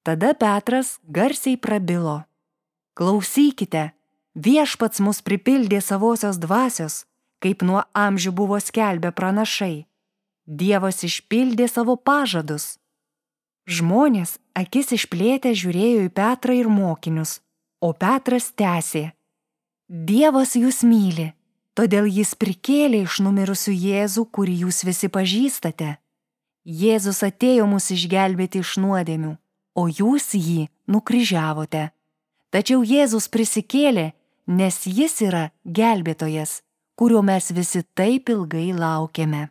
Tada Petras garsiai prabilo: Klausykite, viešpats mus pripildė savosios dvasios, kaip nuo amžių buvo skelbę pranašai. Dievas išpildė savo pažadus. Žmonės akis išplėtę žiūrėjo į Petrą ir mokinius, o Petras tęsė: Dievas jūs myli, todėl jis prikėlė iš numirusių Jėzų, kurį jūs visi pažįstate. Jėzus atėjo mus išgelbėti iš nuodėmių, o jūs jį nukryžiavote. Tačiau Jėzus prisikėlė, nes jis yra gelbėtojas, kurio mes visi taip ilgai laukėme.